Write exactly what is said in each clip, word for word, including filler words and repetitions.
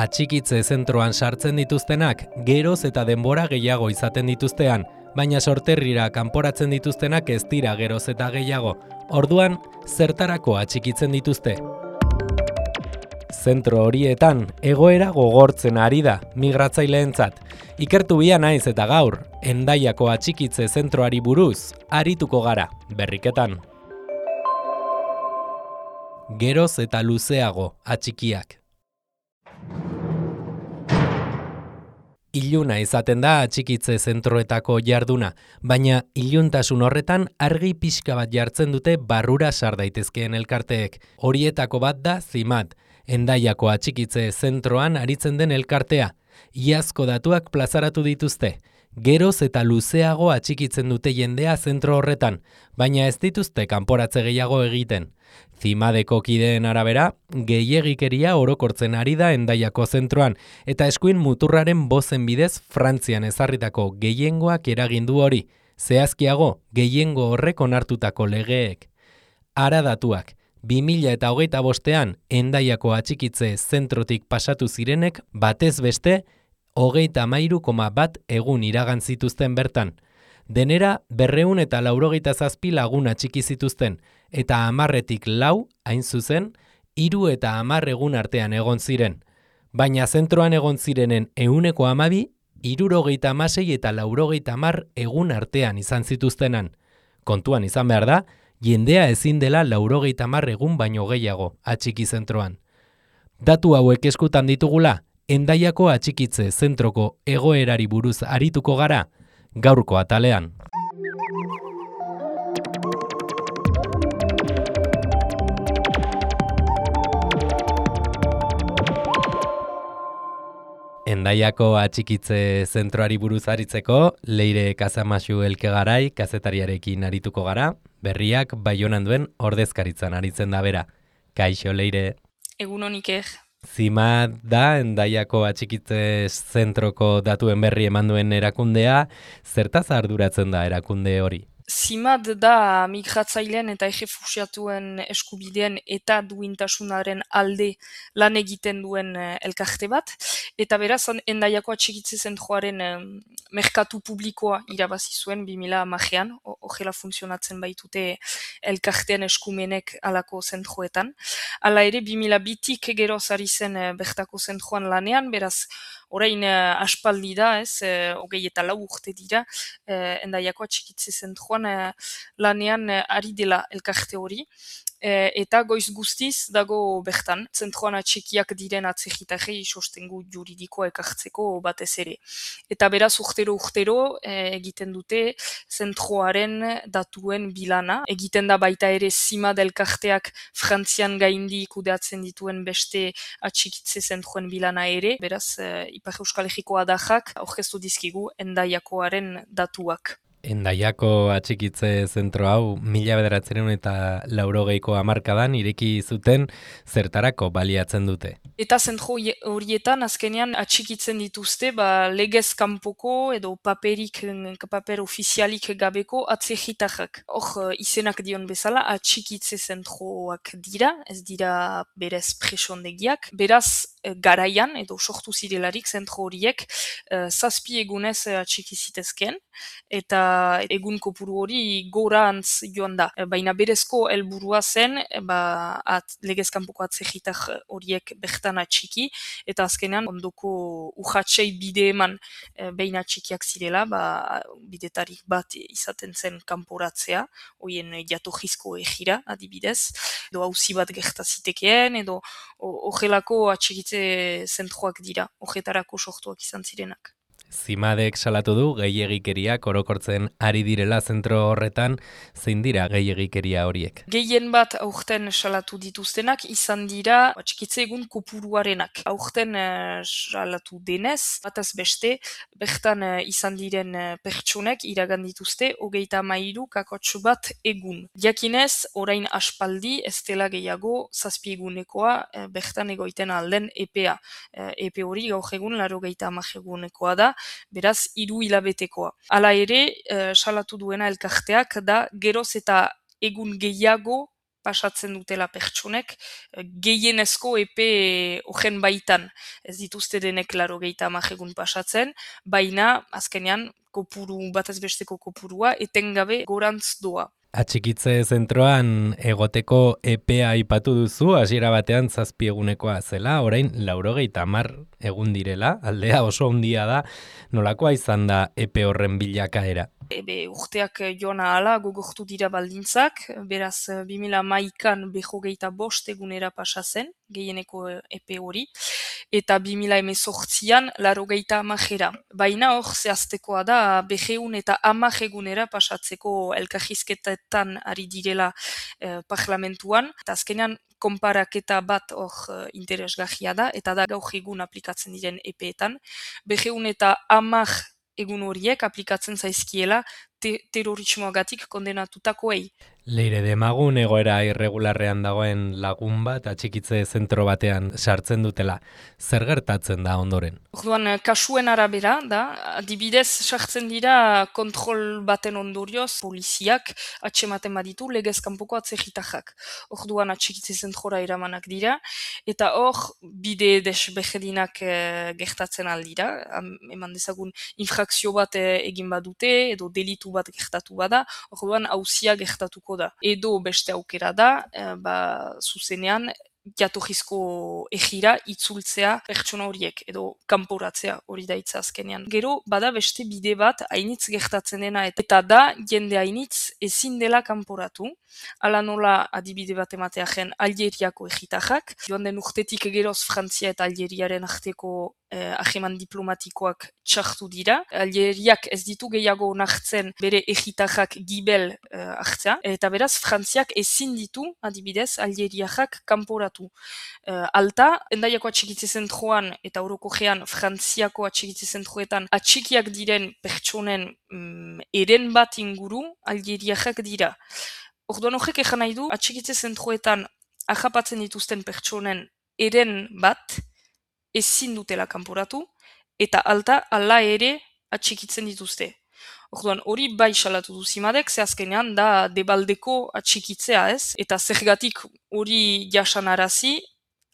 atxikitze zentroan sartzen dituztenak geroz eta denbora gehiago izaten dituztean, baina sorterrira kanporatzen dituztenak ez dira geroz eta gehiago. Orduan, zertarako atxikitzen dituzte? Zentro horietan, egoera gogortzen ari da migratzaileentzat. Ikertu bia naiz eta gaur, Hendaiako atxikitze zentroari buruz, arituko gara, berriketan. Geroz eta luzeago atxikiak. Iluna izaten da atxikitze zentroetako jarduna, baina iluntasun horretan argi pixka bat jartzen dute barrura sar daitezkeen elkarteek. Horietako bat da Zimat, Hendaiako atxikitze zentroan aritzen den elkartea. Iazko datuak plazaratu dituzte. Geroz eta luzeago atxikitzen dute jendea zentro horretan, baina ez dituzte kanporatze gehiago egiten. Zimadeko kideen arabera, gehiegikeria orokortzen ari da Hendaiako zentroan, eta eskuin muturraren bozen bidez Frantzian ezarritako gehiengoak eragindu hori, zehazkiago gehiengo horrek onartutako legeek. Ara datuak, bi mila eta hogeita bostean Hendaiako atxikitze zentrotik pasatu zirenek batez beste, hogeita hamairu koma bat egun iragan zituzten bertan. Denera berrehun eta laurogeita zazpi lagun atxiki zituzten, eta hamarretik lau, hain zuzen, hiru eta hamar egun artean egon ziren. Baina zentroan egon zirenen ehuneko hamabi, hirurogeita hamasei eta laurogeita hamar egun artean izan zituztenan. Kontuan izan behar da, jendea ezin dela laurogeita hamar egun baino gehiago atxiki zentroan. Datu hauek eskutan ditugula, Hendaiako atxikitze zentroko egoerari buruz arituko gara, gaurko atalean. Hendaiako atxikitze zentroari buruz aritzeko, Leire Kazamaxu Elkegarai kazetariarekin arituko gara, berriak Baionan duen ordezkaritzan aritzen da bera. Kaixo, Leire. Egun honik. Zimat da Hendaiako atxikitze zentroko datuen berri eman duen erakundea, zertaz arduratzen da erakunde hori? Zimat da migratzaileen eta errefuxiatuen eskubideen eta duintasunaren alde lan egiten duen elkarte bat, eta beraz Hendaiako atxikitze zentroaren merkatu publikoa irabazi zuen bi mila hamarean, horrela funtzionatzen baitute elkartean eskumenek alako zentroetan. Hala ere, bi mila bitik geroz ari zen bertako zentroan lanean, beraz orain uh, aspaldi da, ez, uh, hogei eta lau urte dira, uh, Hendaiako atxikitze zentroan uh, lanean uh, ari dela elkarte hori, uh, eta goiz guztiz dago bertan, zentroan atxikiak diren atzegitarrei sostengu juridikoa ekartzeko batez ere. Eta beraz urtero-urtero uh, egiten dute zentroaren datuen bilana, egiten da baita ere Zimat elkarteak Frantzian gaindi kudeatzen dituen beste atxikitze zentroen bilana ere, beraz uh, Ipar Euskal Herriko adajak aurkeztu dizkigu Hendaiakoaren datuak. Hendaiako atxikitze zentro hau mila bederatziehun eta laurogeiko hamarkadan ireki zuten zertarako baliatzen dute. Eta zentro horietan azkenean atxikitzen dituzte ba, legez kanpoko edo paperik, paper ofizialik gabeko atzegitarrak. Hor izenak dion bezala atxikitze zentroak dira, ez dira berez presondegiak. Beraz garaian edo sortu zirelarik zentro horiek uh, zazpi egunez atxiki zitezken, eta egun kopuru hori gorantz joan da. Baina berezko helburua zen ba, at, legez kanpoko atzegitar horiek bertan atxiki, eta azkenean ondoko urratsei bide eman e, behin atxikiak zirela, ba, bidetarik bat izaten zen kanporatzea, hoien jatorrizko egira adibidez, edo auzi bat gertazitekeen, edo horrelako atxikitze zentroak dira, horretarako sortuak izan zirenak. Zimadek salatu du gehiegikeriak orokortzen ari direla zentro horretan, zein dira gehiegikeria horiek? Gehien bat aurten salatu dituztenak izan dira atxikitze egun kopuruarenak. Aurten uh, salatu denez, bataz beste, bertan uh, izan diren uh, pertsonek iragan dituzte hogeita hamairu kakotx bat egun. Jakinez, orain aspaldi ez dela gehiago zazpi egunekoa uh, bertan egoiten alden epea. Uh, epe hori gaur egun laurogeita hamar egunekoa da, beraz hiru hilabetekoa. Hala ere, uh, salatu duena elkarteak da geroz eta egun gehiago pasatzen dutela pertsonek, gehienezko epe horren baitan. Ez dituzte denek laro gehieta amajegun pasatzen, baina azkenean kopuru, batez besteko kopurua, etengabe gorantz doa. Atxikitze zentroan egoteko epea aipatu duzu, hasiera batean zazpi egunekoa zela, orain laurogeita hamar egun direla, aldea oso handia da, nolakoa izan da epe horren bilakaera? Ebe urteak joan ahala gogortu dira baldintzak, beraz bi mila hamaikan berrogeita bost egunera pasa zen, gehieneko epe hori, eta bi mila hemezortzian laurogeita hamajera. Baina hor zehaztekoa da berrehun eta hamar egunera pasatzeko elkarrizketetan ari direla eh, parlamentuan, eta azkenean konparaketa bat hor uh, interesgarria da, eta da gaur egun aplikatzen diren epeetan. Berrehun eta hamar egun horiek aplikatzen zaizkiela te terrorismoagatik kondenatutakoei. Leire Demagun egoera irregularrean dagoen lagun bat atxikitze zentro batean sartzen dutela. Zer gertatzen da ondoren? Orduan, kasuen arabera da, adibidez sartzen dira kontrol baten ondorioz poliziak atxematen baditu legez kanpoko atzerritarrak. Orduan atxikitze zentrora eramanak dira, eta hor bide desberdinak e, gertatzen aldira. Eman dezagun infrakzio bat e, egin badute, edo delitu bat gertatu bada, orduan auzia gertatuko da. Edo beste aukera da, e, ba, zuzenean, jatorrizko egira itzultzea pertsona horiek, edo kanporatzea hori da hitza azkenean. Gero, bada beste bide bat hainitz gertatzen dena, eta da jende hainitz ezin dela kanporatu. Hala nola adibide bat emateagen Algeriako egitajak, joan den urtetik geroz Frantzia eta Algeriaren arteko eh, aheman diplomatikoak txartu dira. Algeriak ez ditu gehiago onartzen bere egitajak gibel eh, hartzea, eta beraz Frantziak ezin ditu adibidez Algeriajak kanporatu. Uh, alta, Hendaiako atxikitze zentroan eta orokojean Frantziako atxikitze zentroetan atxikiak diren pertsonen mm, eren bat inguru Algeriajak dira. Orduan horrek egan nahi du, atxikitze zentroetan ahapatzen dituzten pertsonen eren bat ezin dutela kanporatu, eta alta, ala ere atxikitzen dituzte. Orduan, hori bai salatu du Zimadek, ze azkenean da debaldeko atxikitzea ez, eta zergatik hori jasanarazi,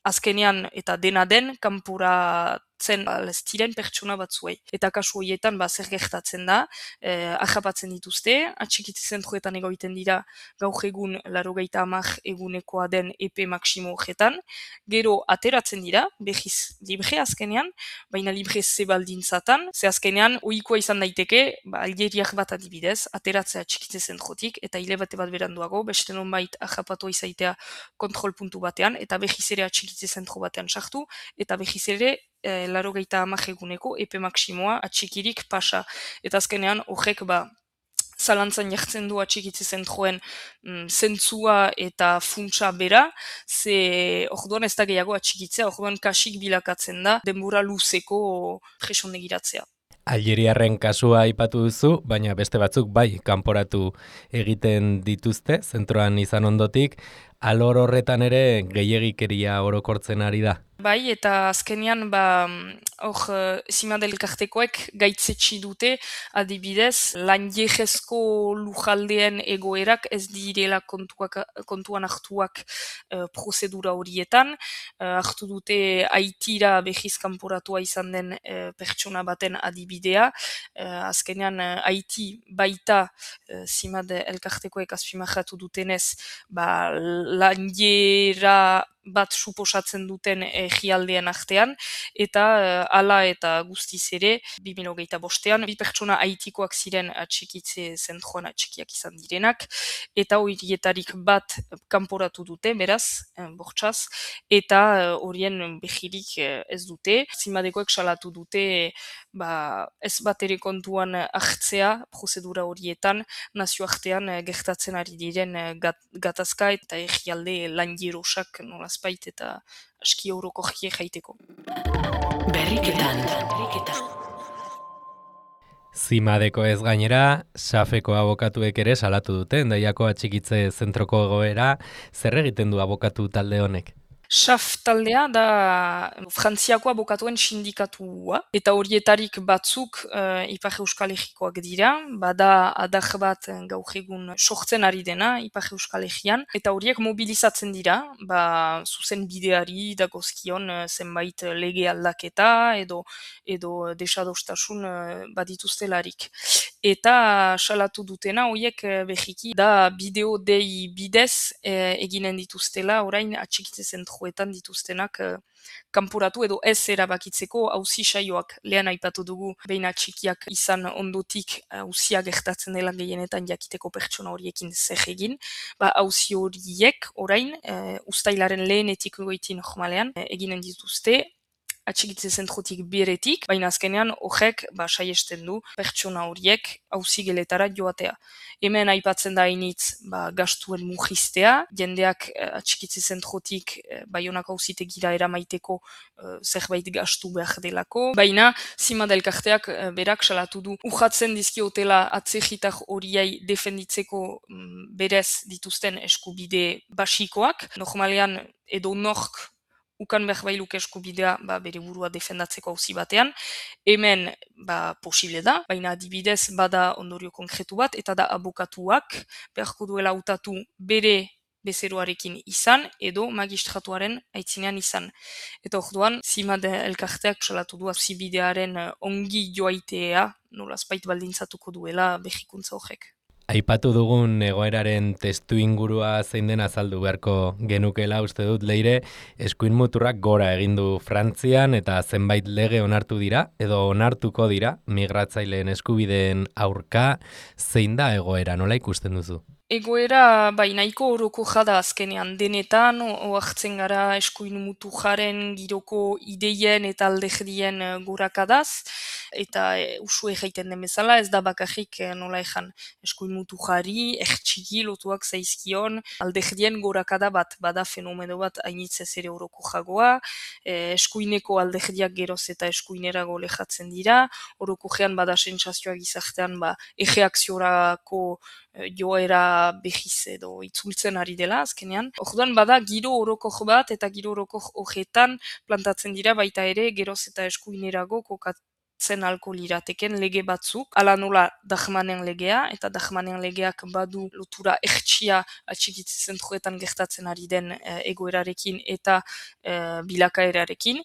azkenean eta dena den kanporatzen ez diren pertsona batzuei. Eta kasu horietan ba, zer gertatzen da, eh, ahapatzen dituzte, atxikitze zentroetan egoiten dira gaur egun laurogeita hamar egunekoa den epe maksimo horretan, gero ateratzen dira, behiz libre azkenean, baina libre ze baldintzatan, ze azkenean ohikoa izan daiteke, ba, Algeriak bat adibidez, ateratzea atxikitze zentrotik, eta hile bate bat beranduago, beste nonbait ahapatu izaitea kontrol puntu batean, eta behiz ere atxikitze zentro batean sartu, eta behiz ere e, laurogeita hamar eguneko epe maksimoa atxikirik pasa. Eta azkenean horrek ba, zalantzan jartzen du atxikitze zentroen mm, zentzua eta funtsa bera, ze orduan ez da gehiago atxikitzea, orduan kasik bilakatzen da denbora luzeko presondegiratzea. Algeriarren kasua aipatu duzu, baina beste batzuk bai kanporatu egiten dituzte, zentroan izan ondotik, alor horretan ere gehiegikeria orokortzen ari da. Bai, eta azkenean, ba, hor, Zimadek elkartekoek gaitzetsi dute, adibidez, lan jehezko lujaldeen egoerak ez direla kontuak, kontuan hartuak uh, prozedura horietan. Uh, hartu dute Haitira behiz kanporatua izan den uh, pertsona baten adibidea. Uh, azkenean, uh, Haiti baita uh, Zimadek elkartekoek azpimarratu dutenez, ba, lan jera bat suposatzen duten egialdeen artean, eta uh, hala eta guztiz ere, bi mila hogeita bostean, bi pertsona haitikoak ziren atxikitze zentroan atxikiak izan direnak, eta horietarik bat kanporatu dute, beraz, eh, bortxaz, eta horien uh, behirik uh, ez dute. Zimadekoek salatu dute, ba, ez bat ere kontuan hartzea prozedura horietan, nazioartean uh, gertatzen ari diren uh, gat, gatazka eta egialde lan jerosak nola azpait eta aski euroko jie jaiteko. Berriketan. Zimadeko ez gainera, Safeko abokatuek ere salatu dute, Hendaiako atxikitze zentroko egoera, zer egiten du abokatu talde honek? S A F taldea da Frantziako abokatuen sindikatua, eta horietarik batzuk uh, Ipar Euskal Herrikoak dira, bada adar bat gaur egun sortzen ari dena Ipar Euskal Herrian, eta horiek mobilizatzen dira, ba, zuzen bideari dagozkion uh, zenbait lege aldaketa edo edo desadostasun uh, badituztelarik. Eta salatu dutena horiek uh, behiki da bideo dei bidez uh, eginen dituztela orain atxikitze zentroetan dituztenak uh, kanporatu edo ez erabakitzeko auzi saioak. Lehen aipatu dugu behin atxikiak izan ondotik auzia gertatzen dela gehienetan jakiteko pertsona horiekin zer egin. Ba, auzi horiek orain uh, ustailaren lehenetik goiti normalean uh, eginen dituzte atxikitze zentrotik beretik, baina azkenean horrek ba, saiesten du pertsona horiek auzi geletara joatea. Hemen aipatzen da hainitz ba, gastuen mugiztea, jendeak eh, atxikitze zentrotik eh, Baionak auzitegira eramaiteko eh, zerbait gastu behar delako, baina Zimad elkarteak eh, berak salatu du urratzen dizkiotela atzegitar horiei defenditzeko mm, berez dituzten eskubide basikoak, normalean edo nork ukan behar bailuk eskubidea ba, bere burua defendatzeko auzi batean. Hemen ba, posible da, baina adibidez bada ondorio konkretu bat, eta da abokatuak beharko duela hautatu bere bezeroarekin izan, edo magistratuaren aitzinean izan. Eta orduan, Zimad elkarteak salatu du auzi bidearen ongi joaitea, nolazbait baldintzatuko duela behikuntza horrek. Aipatu dugun egoeraren testu ingurua zein den azaldu beharko genukela uste dut Leire, eskuin muturrak gora egin du Frantzian eta zenbait lege onartu dira edo onartuko dira migratzaileen eskubideen aurka, zein da egoera, nola ikusten duzu? Egoera bai nahiko oroko jada azkenean denetan, oartzen gara eskuin mutujaren giroko ideien eta aldehdien gorakadaz, eta e, usue jaiten den bezala, ez da bakarrik nola ezan eskuin mutujari, ertxiki lotuak zaizkion, aldehdien gorakada bat, bada fenomeno bat hainitzez ere oroko jagoa, e, eskuineko aldehdiak geroz eta eskuinerago lehatzen dira, oroko jean bada sentsazioa gizartean ba, erreakziorako joera behiz edo itzultzen ari dela azkenean. Orduan bada giro orokor bat eta giro orokor horretan plantatzen dira baita ere geroz eta eskuinerago kokatzen alko lirateken lege batzuk. Ala nola Dahmanen legea, eta Dahmanen legeak badu lotura ertsia atxikitze zentroetan gertatzen ari den e, egoerarekin eta e, bilakaerarekin.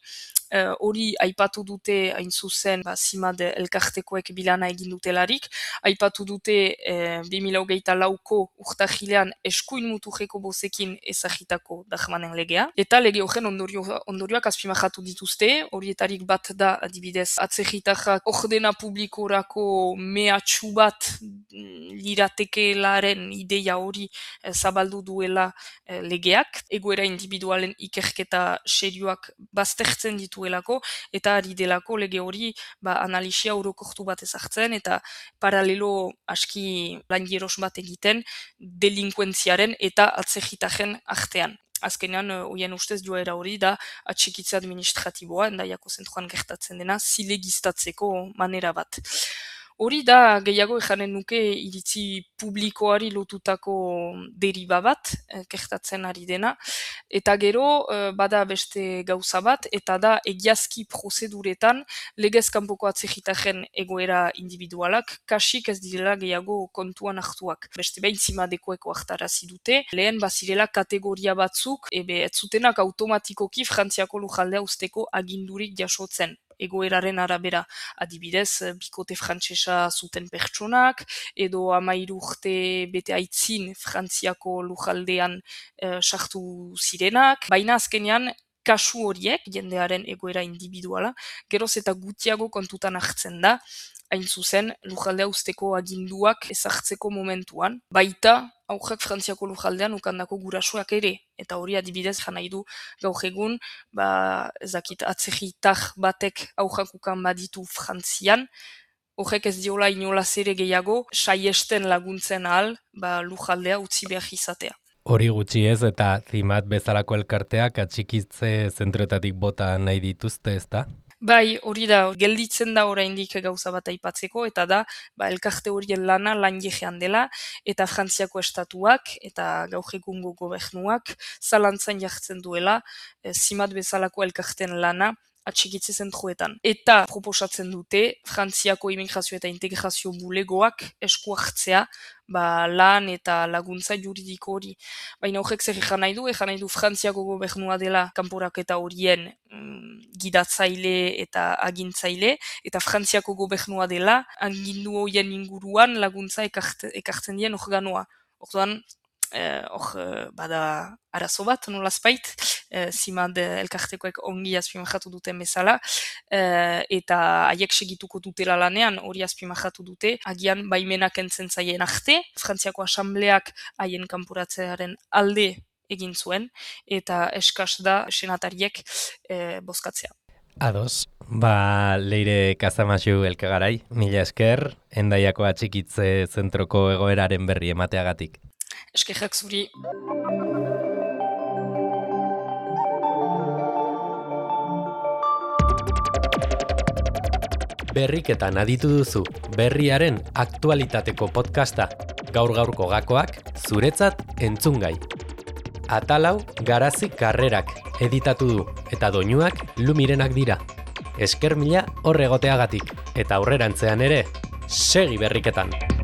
Hori uh, aipatu dute hain zuzen ba, Zimad elkartekoek bilana egin dutelarik, aipatu dute eh, bi mila hogeita lauko urtahilean eskuin mutujeko bozekin ezagitako Dahmanen legea, eta lege horren ondorio, ondorioak azpimajatu dituzte, horietarik bat da adibidez atzegitarrak ordena publikorako mehatxu bat liratekelaren ideia hori eh, zabaldu duela eh, legeak, egoera individualen ikerketa serioak baztertzen ditu Elako, eta ari delako lege hori ba, analisia orokortu bat ezartzen eta paralelo aski langeros bat egiten delinkuentziaren eta atzegitaren artean. Azkenean, hoien ustez joera hori da atxikitze administratiboa, endaiako zentroan gertatzen dena, zilegiztatzeko manera bat. Hori da gehiago ejanen nuke iritzi publikoari lotutako deriba bat, eh, gertatzen ari dena, eta gero eh, bada beste gauza bat, eta da egiazki prozeduretan legez kanpoko atzegitaren egoera individualak, kasik ez direla gehiago kontuan hartuak. Beste behin Zimadekoeko hartarazi dute, lehen bazirela kategoria batzuk, ebe ez zutenak automatikoki Frantziako lujaldea usteko agindurik jasotzen. Egoeraren arabera, adibidez, bikote frantsesa zuten pertsonak, edo hamairu urte bete aitzin Frantziako lujaldean eh, sartu zirenak, baina azkenean kasu horiek, jendearen egoera individuala, geroz eta gutiago kontutan hartzen da, hain zuzen lujaldea usteko aginduak ezartzeko momentuan, baita aurrak Frantziako lujaldean ukandako gurasoak ere, eta hori adibidez jan nahi du gaur egun, ba, ezakit, atzegitar batek aurrak ukan baditu Frantzian, horrek ez diola inolaz ere gehiago, saiesten laguntzen ahal, ba, lujaldea utzi behar izatea. Hori gutxi ez, eta Zimad bezalako elkarteak atxikitze zentroetatik bota nahi dituzte, ez da? Bai, hori da, gelditzen da oraindik gauza bat aipatzeko, eta da, ba, elkarte horien lana lan jegean dela, eta Frantziako estatuak, eta gaur egungo gobernuak, zalantzan jartzen duela, e, zimat bezalako elkarten lana, atxikitze zentroetan. Eta proposatzen dute, Frantziako immigrazio eta integrazio bulegoak esku hartzea, ba, lan eta laguntza juridiko hori. Baina horrek zer ejan nahi du, ejan nahi du Frantziako gobernua dela kanporaketa horien mm, gidatzaile eta agintzaile, eta Frantziako gobernua dela agindu horien inguruan laguntza ekart, ekartzen dien organoa. Orduan, hor eh, bada arazo bat, nolazpait, eh, zimad elkartekoek ongi azpimajatu duten bezala, eh, eta haiek segituko dutela lanean, hori azpimajatu dute, agian baimenak entzen zaien arte, Frantziako asambleak haien kanporatzearen alde egin zuen, eta eskas da senatariek eh, bozkatzea. Ados, ba, Leire Kazamaxu elkagarai, mila esker, Hendaiako atxikitze zentroko egoeraren berri emateagatik. Eskerrak zuri. Berriketan aditu duzu, berriaren aktualitateko podcasta, gaur-gaurko gakoak, zuretzat entzungai. Atalau Garazi Karrerak editatu du, eta doinuak Lumirenak dira. Esker mila hor egoteagatik, eta aurrerantzean ere, segi berriketan!